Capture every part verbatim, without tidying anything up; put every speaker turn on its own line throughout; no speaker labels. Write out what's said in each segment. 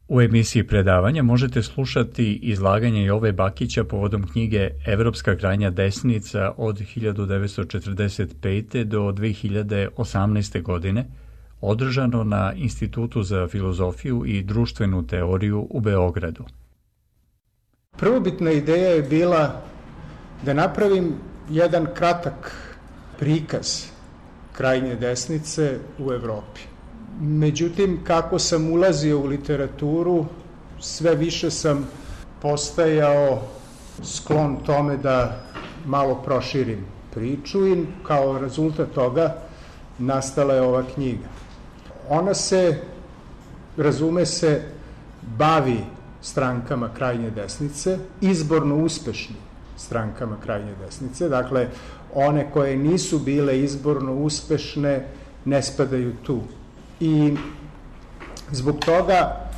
U emisiji predavanja možete slušati izlaganje Jove Bakića povodom knjige Evropska krajnja desnica od hiljadu devetsto četrdeset pete do dve hiljade osamnaeste. godine, održano na Institutu za filozofiju i društvenu teoriju u Beogradu.
Prvobitna ideja je bila da napravim jedan kratak prikaz krajnje desnice u Evropi. Međutim, kako sam ulazio u literaturu, sve više sam postajao sklon tome da malo proširim priču i kao rezultat toga nastala je ova knjiga. Ona se, razume se, bavi strankama krajnje desnice, izborno uspešnim strankama krajnje desnice, dakle, one koje nisu bile izborno uspešne ne spadaju tu. I zbog toga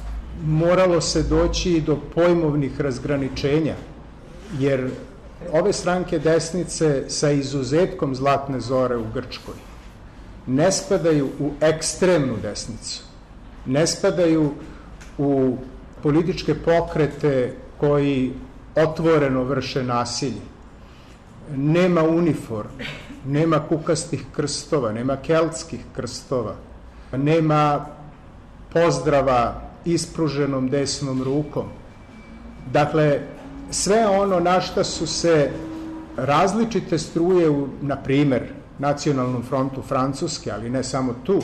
moralo se doći do pojmovnih razgraničenja, jer ove stranke desnice sa izuzetkom Zlatne zore u Grčkoj ne spadaju u ekstremnu desnicu, ne spadaju u političke pokrete koji otvoreno vrše nasilje. Nema uniforme, nema kukastih krstova, nema keltskih krstova, nema pozdrava ispruženom desnom rukom. Dakle, sve ono na šta su se različite struje u, na primer, Nacionalnom frontu Francuske, ali ne samo tu,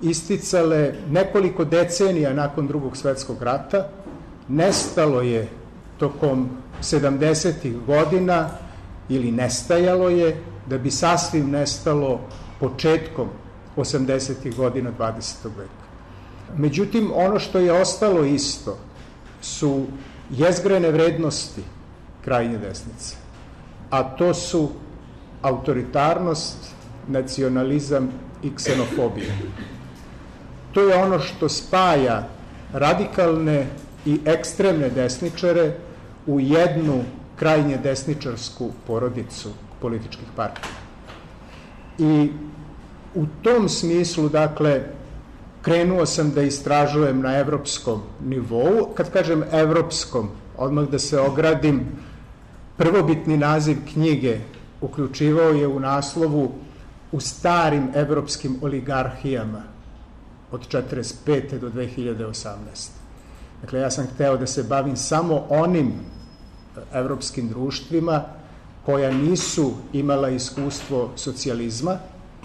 isticale nekoliko decenija nakon Drugog svetskog rata, nestalo je tokom sedamdesetih godina ili nestajalo je, da bi sasvim nestalo početkom osamdesetih godina dvadesetog veka. Međutim, ono što je ostalo isto su jezgrene vrednosti krajnje desnice, a to su autoritarnost, nacionalizam i ksenofobija. To je ono što spaja radikalne i ekstremne desničare u jednu krajnje desničarsku porodicu političkih partija. I u tom smislu, dakle, krenuo sam da istražujem na evropskom nivou. Kad kažem evropskom, odmah da se ogradim, prvobitni naziv knjige uključivao je u naslovu u starim evropskim oligarhijama od četrdeset pete do dve hiljade osamnaeste. Dakle, ja sam hteo da se bavim samo onim evropskim društvima koja nisu imala iskustvo socijalizma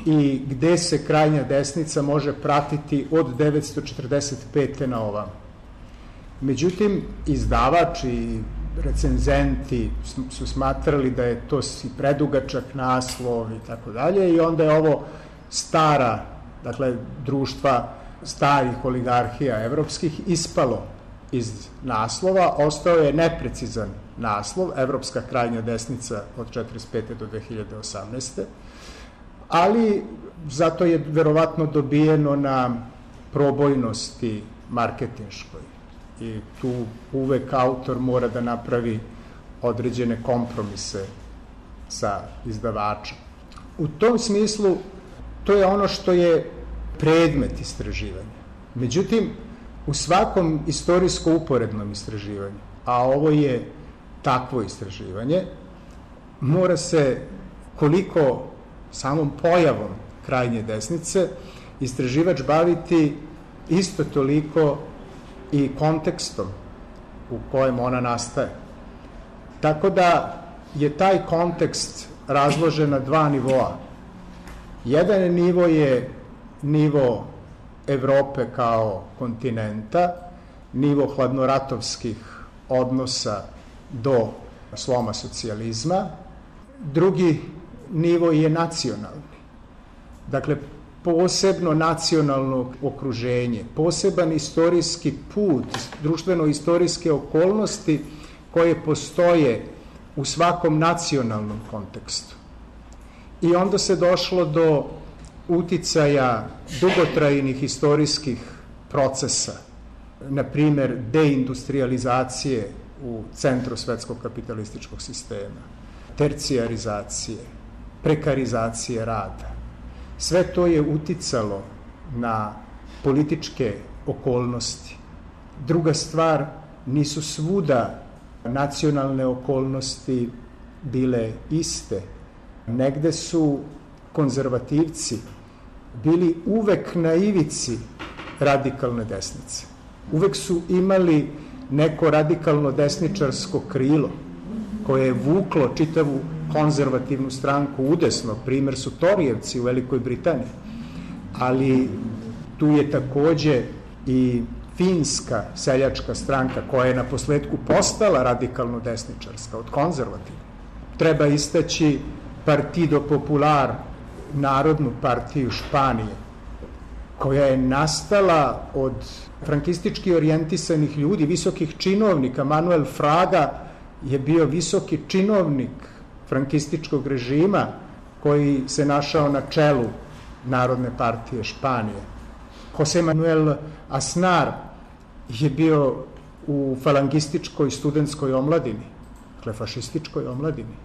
i gde se krajnja desnica može pratiti od devetsto četrdeset pete na ovam. Međutim, izdavač i recenzenti su smatrali da je to si predugačak naslov i tako dalje, i onda je ovo stara, dakle, društva starih oligarhija evropskih ispalo iz naslova, ostao je neprecizan naslov, Evropska krajnja desnica od četrdeset pete do dve hiljade osamnaeste. Ali zato je verovatno dobijeno na probojnosti marketinškoj i tu uvek autor mora da napravi određene kompromise sa izdavačem. U tom smislu to je ono što je predmet istraživanja. Međutim, u svakom istorijsko-uporednom istraživanju, a ovo je takvo istraživanje, mora se koliko samom pojavom krajnje desnice istraživač baviti isto toliko i kontekstom u kojem ona nastaje. Tako da je taj kontekst razložen na dva nivoa. Jedan nivo je nivo Evrope kao kontinenta, nivo hladnoratovskih odnosa do sloma socijalizma. Drugi nivo je nacionalni. Dakle, posebno nacionalno okruženje, poseban istorijski put, društveno-istorijske okolnosti koje postoje u svakom nacionalnom kontekstu. I onda se došlo do uticaja dugotrajnih istorijskih procesa, na primer deindustrializacije u centru svetskog kapitalističkog sistema, tercijarizacije, prekarizacije rada. Sve to je uticalo na političke okolnosti Druga stvar, nisu svuda nacionalne okolnosti bile iste. Negde su konzervativci bili uvek na ivici radikalne desnice. Uvek su imali neko radikalno desničarsko krilo koje je vuklo čitavu konzervativnu stranku udesno. Primer su Torijevci u Velikoj Britaniji. Ali tu je takođe i finska seljačka stranka koja je na posledku postala radikalno desničarska od konzervativne. Treba istaći Partido Popular, Narodnu partiju Španije, koja je nastala od frankistički orijentisanih ljudi, visokih činovnika. Manuel Fraga je bio visoki činovnik frankističkog režima koji se našao na čelu Narodne partije Španije. Jose Manuel Aznar je bio u falangističkoj studentskoj omladini, dakle fašističkoj omladini,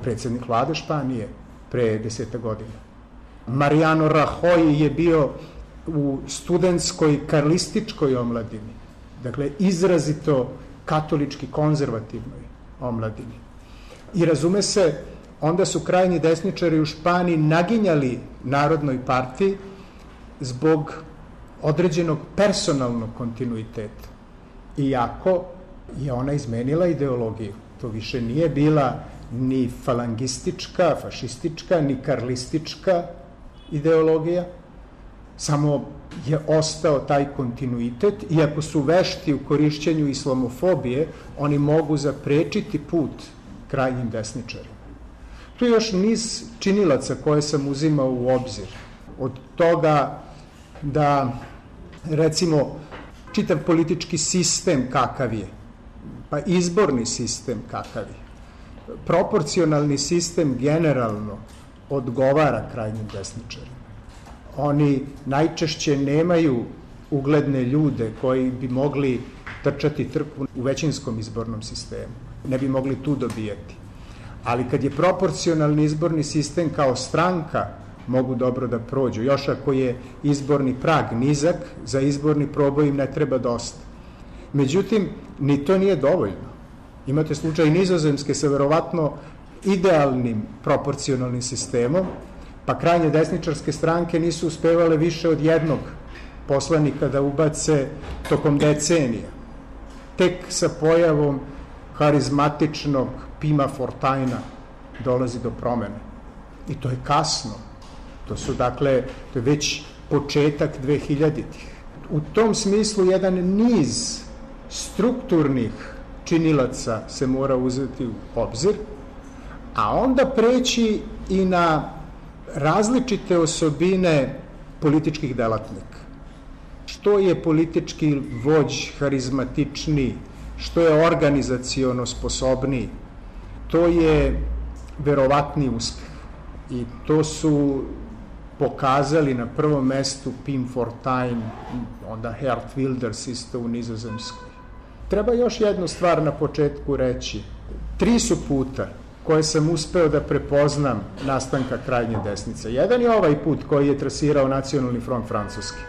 predsednik vlade Španije pre deseta godina. Mariano Rajoy je bio u studentskoj karlističkoj omladini, dakle izrazito katolički konzervativnoj omladini. I razume se, onda su krajnji desničari u Španiji naginjali Narodnoj partiji zbog određenog personalnog kontinuiteta. Iako je ona izmenila ideologiju. To više nije bila ni falangistička, fašistička, ni karlistička ideologija, samo je ostao taj kontinuitet. Iako su vešti u korišćenju islamofobije, oni mogu zaprečiti put krajnjim desničarima. Tu je još niz činilaca koje sam uzimao u obzir. Od toga da, recimo, čitav politički sistem kakav je, pa izborni sistem kakav je, proporcionalni sistem generalno odgovara krajnjim desničarima. Oni najčešće nemaju ugledne ljude koji bi mogli trčati trku u većinskom izbornom sistemu. Ne bi mogli tu dobijati. Ali kad je proporcionalni izborni sistem kao stranka, mogu dobro da prođu. Još ako je izborni prag nizak, za izborni proboj im ne treba dosta. Međutim, ni to nije dovoljno. Imate slučaj Nizozemske sa verovatno idealnim proporcionalnim sistemom, pa krajnje desničarske stranke nisu uspevale više od jednog poslanika da ubace tokom decenija. Tek sa pojavom harizmatičnog Pima Fortajna dolazi do promene. I to je kasno. To su, dakle, to je već početak dvehiljaditih. U tom smislu jedan niz strukturnih činilaca se mora uzeti u obzir, a onda preći i na različite osobine političkih delatnika. Što je politički vođ harizmatičniji, što je organizaciono sposobniji, to je verovatni uspeh. I to su pokazali na prvom mestu Pim Fortuyn, onda Geert Wilders isto u Nizozemskoj. Treba još jednu stvar na početku reći. Tri su puta koje sam uspeo da prepoznam nastanka krajnje desnice. Jedan je ovaj put koji je trasirao Nacionalni front francuski.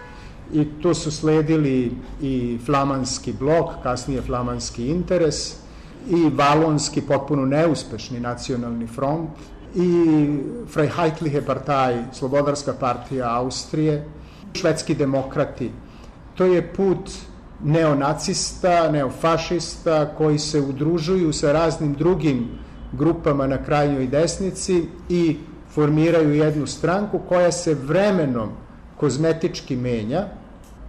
I tu su sledili i flamanski blok, kasnije flamanski interes, i valonski potpuno neuspešni Nacionalni front, i Freiheitliche Partei, Slobodarska partija Austrije, švedski demokrati. To je put neonacista, neofašista koji se udružuju sa raznim drugim grupama na krajnjoj desnici i formiraju jednu stranku koja se vremenom kozmetički menja,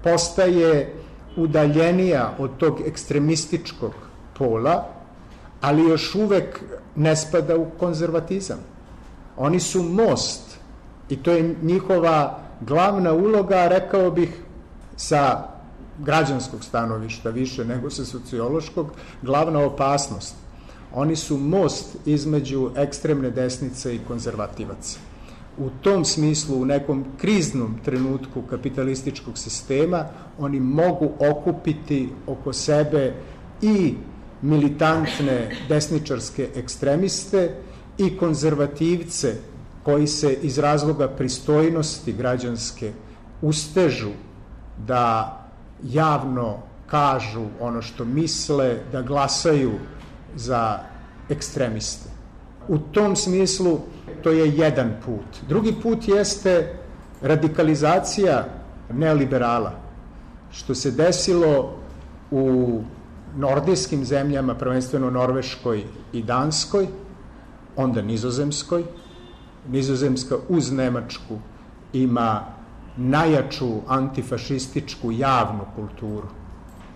postaje udaljenija od tog ekstremističkog pola, ali još uvek ne spada u konzervatizam. Oni su most i to je njihova glavna uloga, rekao bih, sa građanskog stanovišta više nego sa sociološkog, glavna opasnost. Oni su most između ekstremne desnice i konzervativaca. U tom smislu, u nekom kriznom trenutku kapitalističkog sistema, oni mogu okupiti oko sebe i militantne desničarske ekstremiste i konzervativce koji se iz razloga pristojnosti građanske ustežu da javno kažu ono što misle, da glasaju za ekstremiste. U tom smislu to je jedan put. Drugi put jeste radikalizacija neoliberala, što se desilo u nordijskim zemljama, prvenstveno Norveškoj i Danskoj, onda Nizozemskoj. Nizozemska uz Nemačku ima najjaču antifašističku javnu kulturu.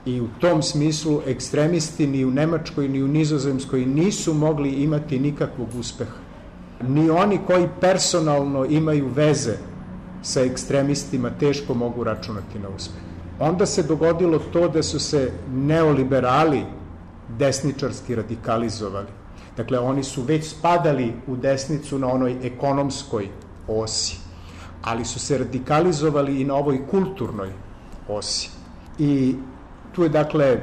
I u tom smislu ekstremisti ni u Nemačkoj ni u Nizozemskoj nisu mogli imati nikakvog uspeha. Ni oni koji personalno imaju veze sa ekstremistima teško mogu računati na uspeh. Onda se dogodilo to da su se neoliberali desničarski radikalizovali. Dakle, oni su već spadali u desnicu na onoj ekonomskoj osi, ali su se radikalizovali i na ovoj kulturnoj osi. I tu je, dakle,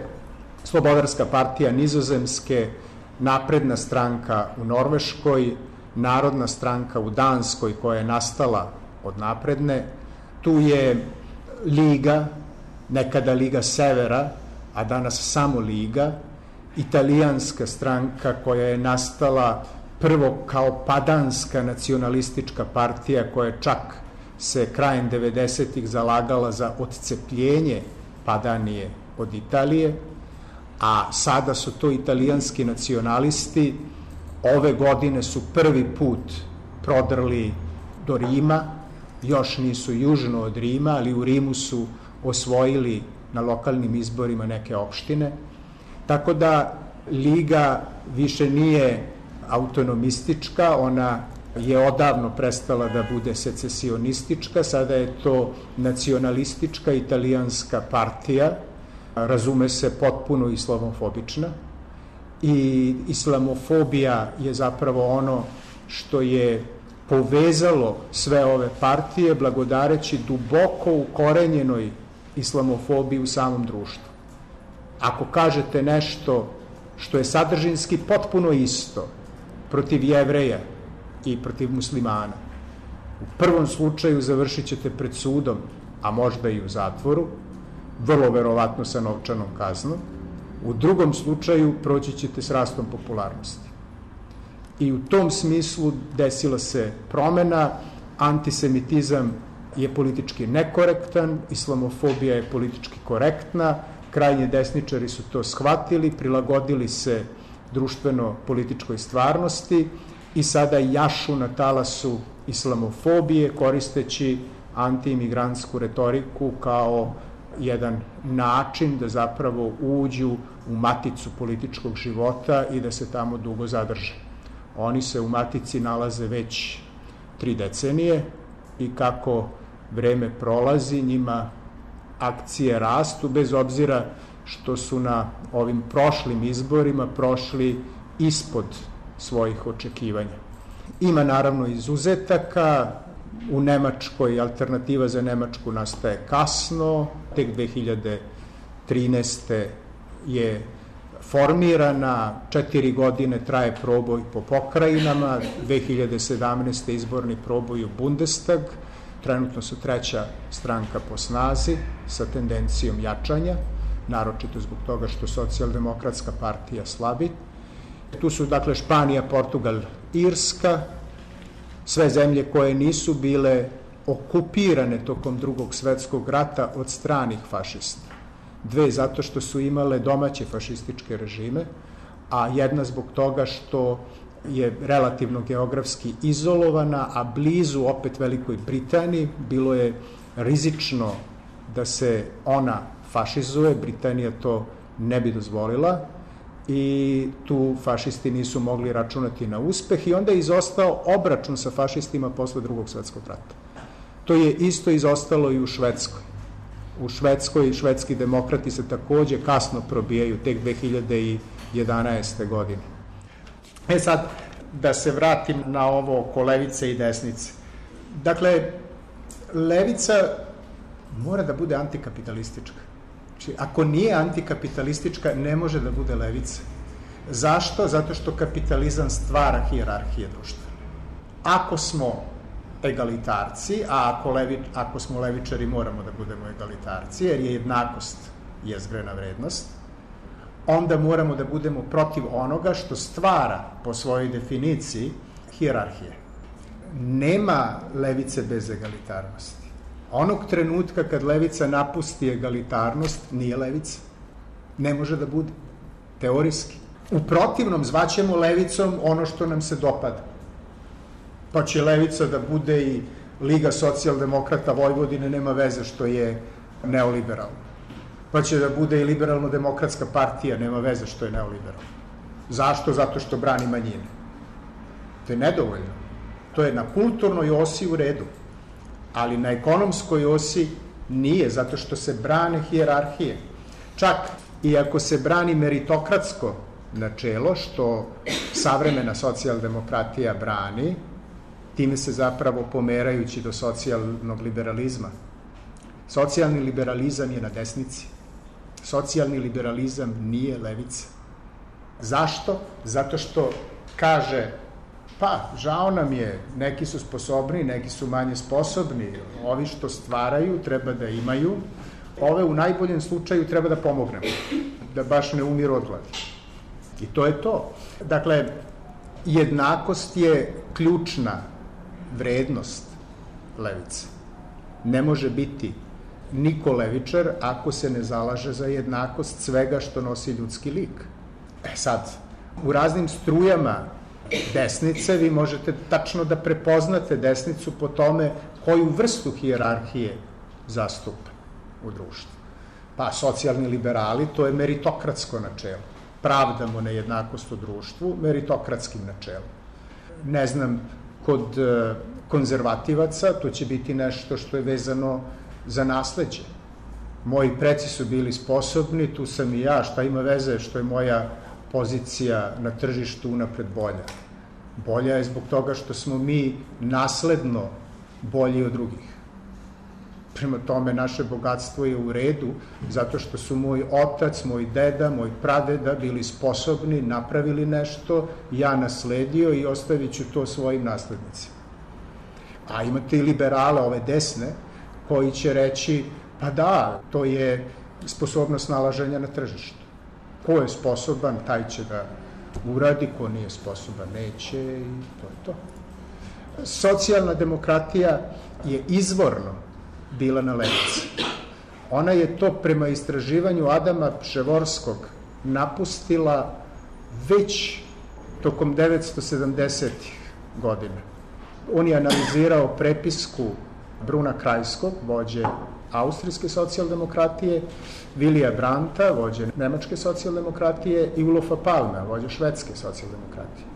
Slobodarska partija Nizozemske, Napredna stranka u Norveškoj, Narodna stranka u Danskoj koja je nastala od Napredne, tu je Liga, nekada Liga Severa, a danas samo Liga, Italijanska stranka koja je nastala prvo kao padanska nacionalistička partija koja čak se krajem devedesetih zalagala za odcepljenje Padanije od Italije, a sada su to italijanski nacionalisti. Ove godine su prvi put prodrli do Rima, još nisu južno od Rima, ali u Rimu su osvojili na lokalnim izborima neke opštine. Tako da Liga više nije autonomistička, ona je odavno prestala da bude secesionistička, sada je to nacionalistička italijanska partija, razume se potpuno islamofobična. I islamofobija je zapravo ono što je povezalo sve ove partije, blagodareći duboko ukorenjenoj islamofobiji u samom društvu. Ako kažete nešto što je sadržinski potpuno isto protiv Jevreja i protiv muslimana, u prvom slučaju završit ćete pred sudom, a možda i u zatvoru, vrlo verovatno sa novčanom kaznom. U drugom slučaju proći ćete s rastom popularnosti. I u tom smislu desila se promena, antisemitizam je politički nekorektan, islamofobija je politički korektna, krajnji desničari su to shvatili, prilagodili se društveno-političkoj stvarnosti i sada jašu na talasu islamofobije koristeći antiimigrantsku retoriku kao jedan način da zapravo uđu u maticu političkog života i da se tamo dugo zadrže. Oni se u matici nalaze već tri decenije i kako vreme prolazi, njima akcije rastu, bez obzira što su na ovim prošlim izborima prošli ispod svojih očekivanja. Ima naravno izuzetaka. U Nemačkoj alternativa za Nemačku nastaje kasno, tek dve hiljade trinaeste. je formirana, četiri godine traje proboj po pokrajinama, dve hiljade sedamnaeste. izborni proboj u Bundestag, trenutno su treća stranka po snazi sa tendencijom jačanja, naročito zbog toga što socijaldemokratska partija slabi. Tu su dakle Španija, Portugal, Irska, sve zemlje koje nisu bile okupirane tokom Drugog svetskog rata od stranih fašista. Dve zato što su imale domaće fašističke režime, a jedna zbog toga što je relativno geografski izolovana, a blizu opet Velikoj Britaniji. Bilo je rizično da se ona fašizuje, Britanija to ne bi dozvolila i tu fašisti nisu mogli računati na uspeh i onda je izostao obračun sa fašistima posle Drugog svetskog rata. To je isto izostalo i u Švedskoj. U Švedskoj švedski demokrati se takođe kasno probijaju, tek dve hiljade jedanaeste. godine. E sad, da se vratim na ovo oko levice i desnice. Dakle, levica mora da bude antikapitalistička. Znači, ako nije antikapitalistička, ne može da bude levica. Zašto? Zato što kapitalizam stvara hijerarhije društva. Ako smo egalitarci, a ako, levi, ako smo levičari moramo da budemo egalitarci, jer je jednakost jezgrena vrednost, onda moramo da budemo protiv onoga što stvara po svojoj definiciji hijerarhije. Nema levice bez egalitarnosti. Onog trenutka kad levica napusti egalitarnost, nije levica. Ne može da bude. Teorijski. U protivnom zvaćemo levicom ono što nam se dopada. Pa će levica da bude i Liga socijaldemokrata Vojvodine, nema veze što je neoliberalna. Pa će da bude i liberalno-demokratska partija, nema veze što je neoliberalna. Zašto? Zato što brani manjine. To je nedovoljno. To je na kulturnoj osi u redu, ali na ekonomskoj osi nije, zato što se brane hijerarhije. Čak i ako se brani meritokratsko načelo, što savremena socijaldemokratija brani, time se zapravo pomerajući do socijalnog liberalizma. Socijalni liberalizam je na desnici. Socijalni liberalizam nije levica. Zašto? Zato što kaže, pa, žao nam je, neki su sposobni, neki su manje sposobni, ovi što stvaraju treba da imaju, ove u najboljem slučaju treba da pomognemo, da baš ne umiru od gladi. I to je to. Dakle, jednakost je ključna vrednost levice. Ne može biti niko levičar ako se ne zalaže za jednakost svega što nosi ljudski lik. E sad, u raznim strujama desnice vi možete tačno da prepoznate desnicu po tome koju vrstu hijerarhije zastupa u društvu. Pa socijalni liberali, to je meritokratsko načelo. Pravdamo nejednakost u društvu meritokratskim načelom. Ne znam, kod konzervativaca to će biti nešto što je vezano za nasleđe. Moji preci su bili sposobni, tu sam i ja, šta ima veze što je moja pozicija na tržištu unapred bolja. Bolja je zbog toga što smo mi nasledno bolji od drugih. Prema tome, naše bogatstvo je u redu, zato što su moj otac, moj deda, moj pradeda bili sposobni, napravili nešto, ja nasledio i ostavit ću to svojim naslednicima. A imate i liberale, ove desne, koji će reći, pa da, to je sposobnost nalaženja na tržištu. Ko je sposoban, taj će da uradi, ko nije sposoban, neće i to je to. Socijalna demokratija je izvorno bila na levici. Ona je to prema istraživanju Adama Pševorskog napustila već tokom devetsto sedamdesetih godina. On je analizirao prepisku Bruna Krajskog, vođe austrijske socijaldemokratije, Vilija Brandta, vođe nemačke socijaldemokratije i Ulofa Palmea, vođe švedske socijaldemokratije.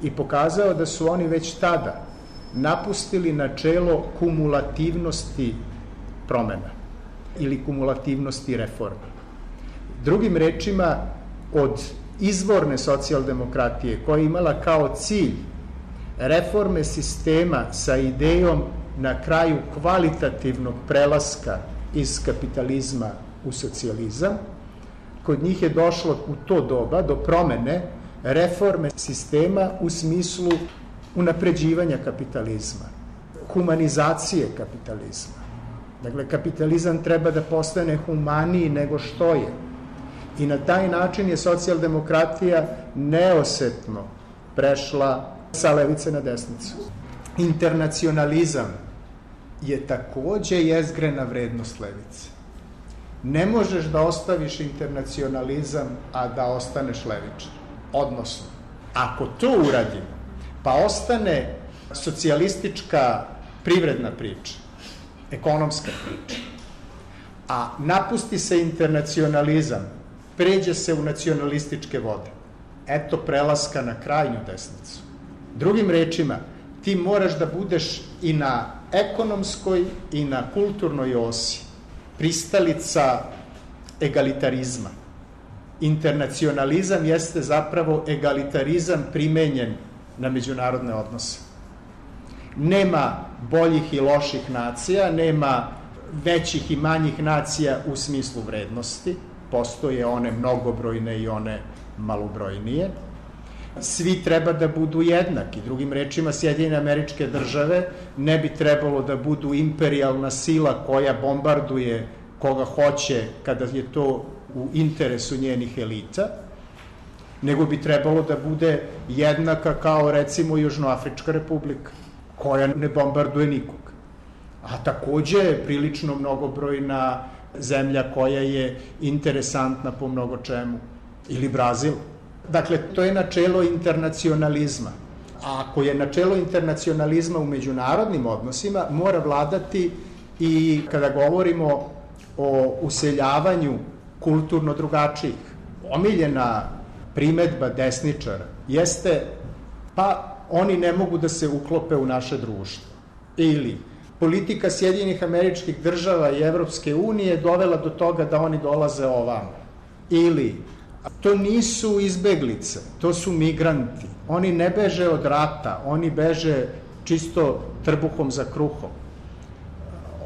I pokazao da su oni već tada napustili načelo kumulativnosti promena ili kumulativnosti reforma. Drugim rečima, od izvorne socijaldemokratije koja je imala kao cilj reforme sistema sa idejom na kraju kvalitativnog prelaska iz kapitalizma u socijalizam, kod njih je došlo u to doba do promene reforme sistema u smislu unapređivanja kapitalizma, humanizacije kapitalizma. Dakle, kapitalizam treba da postane humaniji nego što je. I na taj način je socijaldemokratija neosetno prešla sa levice na desnicu. Internacionalizam je takođe jezgrena vrednost levice. Ne možeš da ostaviš internacionalizam, a da ostaneš levičar. Odnosno, ako to uradimo, pa ostane socijalistička privredna priča, ekonomska priča, a napusti se internacionalizam, pređe se u nacionalističke vode. Eto prelaska na krajnju desnicu. Drugim rečima, ti moraš da budeš i na ekonomskoj i na kulturnoj osi pristalica egalitarizma. Internacionalizam jeste zapravo egalitarizam primenjen na međunarodne odnose. Nema boljih i loših nacija, nema većih i manjih nacija u smislu vrednosti, postoje one mnogobrojne i one malobrojnije. Svi treba da budu jednaki. Drugim rečima, Sjedinjene Američke Države ne bi trebalo da budu imperijalna sila koja bombarduje koga hoće kada je to u interesu njenih elita, nego bi trebalo da bude jednaka kao recimo Južnoafrička republika, koja ne bombarduje nikog. A takođe je prilično mnogobrojna zemlja koja je interesantna po mnogo čemu. Ili Brazil. Dakle, to je načelo internacionalizma. A ako je načelo internacionalizma u međunarodnim odnosima, mora vladati i kada govorimo o useljavanju kulturno drugačijih. Omiljena primedba desničara jeste pa oni ne mogu da se uklope u naše društvo. Ili politika Sjedinjenih Američkih Država i Evropske unije dovela do toga da oni dolaze ovamo. Ili to nisu izbeglice, to su migranti. Oni ne beže od rata, oni beže čisto trbuhom za kruhom.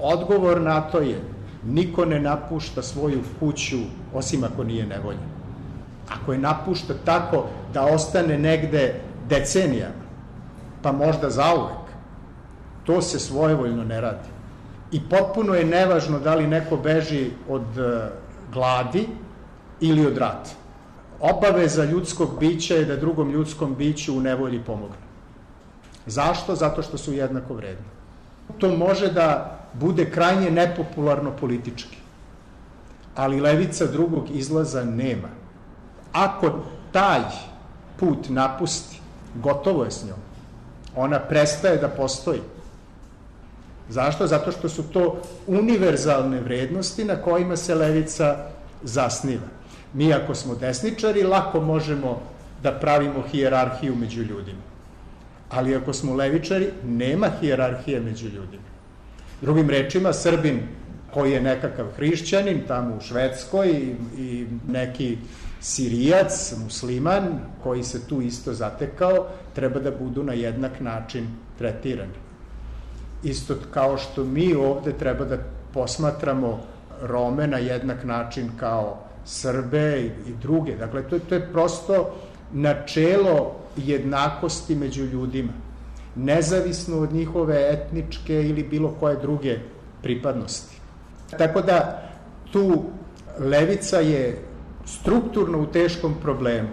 Odgovor na to je niko ne napušta svoju kuću osim ako nije nevoljen. Ako je napušta tako da ostane negde decenijama, pa možda zauvek, to se svojevoljno ne radi. I potpuno je nevažno da li neko beži od gladi ili od rata. Obaveza ljudskog bića je da drugom ljudskom biću u nevolji pomogne. Zašto? Zato što su jednako vredni. To može da bude krajnje nepopularno politički, ali levica drugog izlaza nema. Ako taj put napusti, gotovo je s njom. Ona prestaje da postoji. Zašto? Zato što su to univerzalne vrednosti na kojima se levica zasniva. Mi ako smo desničari, lako možemo da pravimo hijerarhiju među ljudima. Ali ako smo levičari, nema hijerarhije među ljudima. Drugim rečima, Srbin koji je nekakav hrišćanin tamo u Švedskoj i, i neki Sirijac, musliman, koji se tu isto zatekao, treba da budu na jednak način tretirani. Isto kao što mi ovde treba da posmatramo Rome na jednak način kao Srbe i, i druge. Dakle, to, to je prosto načelo jednakosti među ljudima, nezavisno od njihove etničke ili bilo koje druge pripadnosti. Tako da tu levica je strukturno u teškom problemu,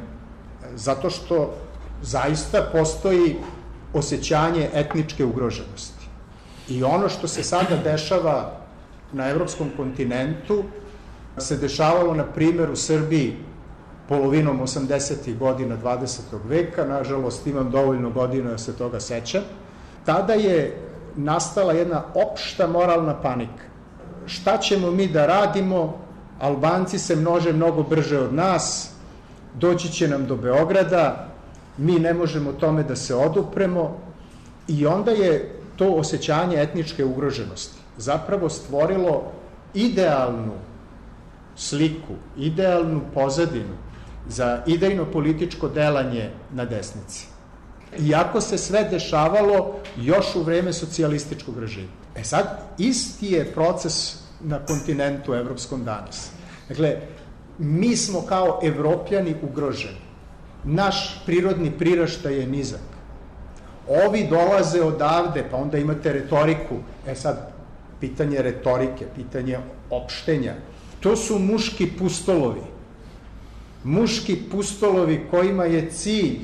zato što zaista postoji osjećanje etničke ugroženosti. I ono što se sada dešava na evropskom kontinentu se dešavalo, na primjer, u Srbiji polovinom osamdesetih godina dvadesetog veka, nažalost imam dovoljno godina da se toga sećam. Tada je nastala jedna opšta moralna panika. Šta ćemo mi da radimo? Albanci se množe mnogo brže od nas, doći će nam do Beograda, mi ne možemo tome da se odupremo, i onda je to osjećanje etničke ugroženosti zapravo stvorilo idealnu sliku, idealnu pozadinu za idejno političko delanje na desnici. Iako se sve dešavalo još u vreme socijalističkog režima. E sad, isti je proces na kontinentu evropskom danas. Dakle, mi smo kao Evropljani ugroženi. Naš prirodni priraštaj je nizak. Ovi dolaze odavde, pa onda imate retoriku. E sad, pitanje retorike, pitanje opštenja. To su muški pustolovi. Muški pustolovi kojima je cilj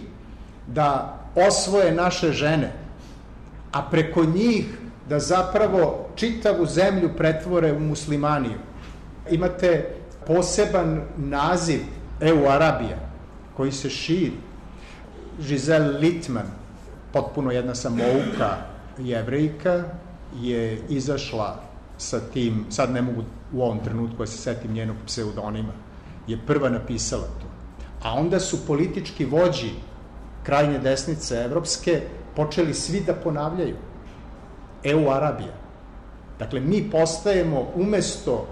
da osvoje naše žene, a preko njih da zapravo čitavu zemlju pretvore u muslimaniju. Imate poseban naziv EU Arabija, koji se širi. Giselle Littman, potpuno jedna samouka Jevrejka, je izašla sa tim, sad ne mogu u ovom trenutku da se setim njenog pseudonima, je prva napisala to. A onda su politički vođi krajnje desnice evropske počeli svi da ponavljaju EU Arabija. Dakle, mi postajemo umesto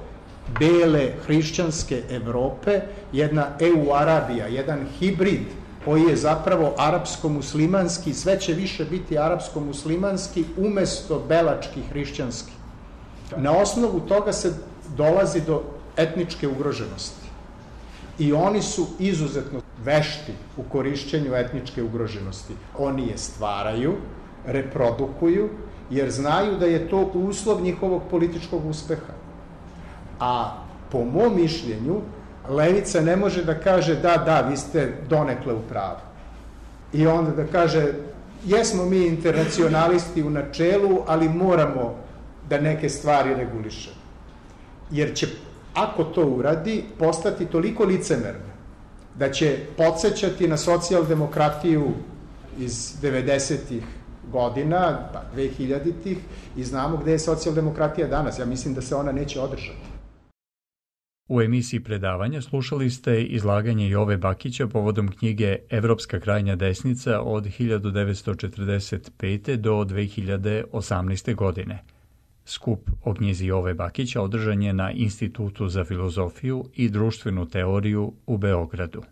bele hrišćanske Evrope jedna EU Arabija, jedan hibrid koji je zapravo arapsko-muslimanski, sve će više biti arapsko-muslimanski umesto belački hrišćanski. Na osnovu toga se dolazi do etničke ugroženosti. I oni su izuzetno vešti u korišćenju etničke ugroženosti. Oni je stvaraju, reprodukuju, jer znaju da je to uslov njihovog političkog uspeha. A po mom mišljenju, levica ne može da kaže da, da, vi ste donekle u pravu. I onda da kaže, jesmo mi internacionalisti u načelu, ali moramo da neke stvari regulišemo. Jer će, ako to uradi, postati toliko licemerna da će podsećati na socijaldemokratiju iz devedesetih godina, pa dvehiljaditih, i znamo gde je socijaldemokratija danas. Ja mislim da se ona neće održati.
U emisiji predavanja slušali ste izlaganje Jove Bakića povodom knjige Evropska krajnja desnica od hiljadu devetsto četrdeset pete do dve hiljade osamnaeste. godine. Skup o knjizi Jove Bakića održan je na Institutu za filozofiju i društvenu teoriju u Beogradu.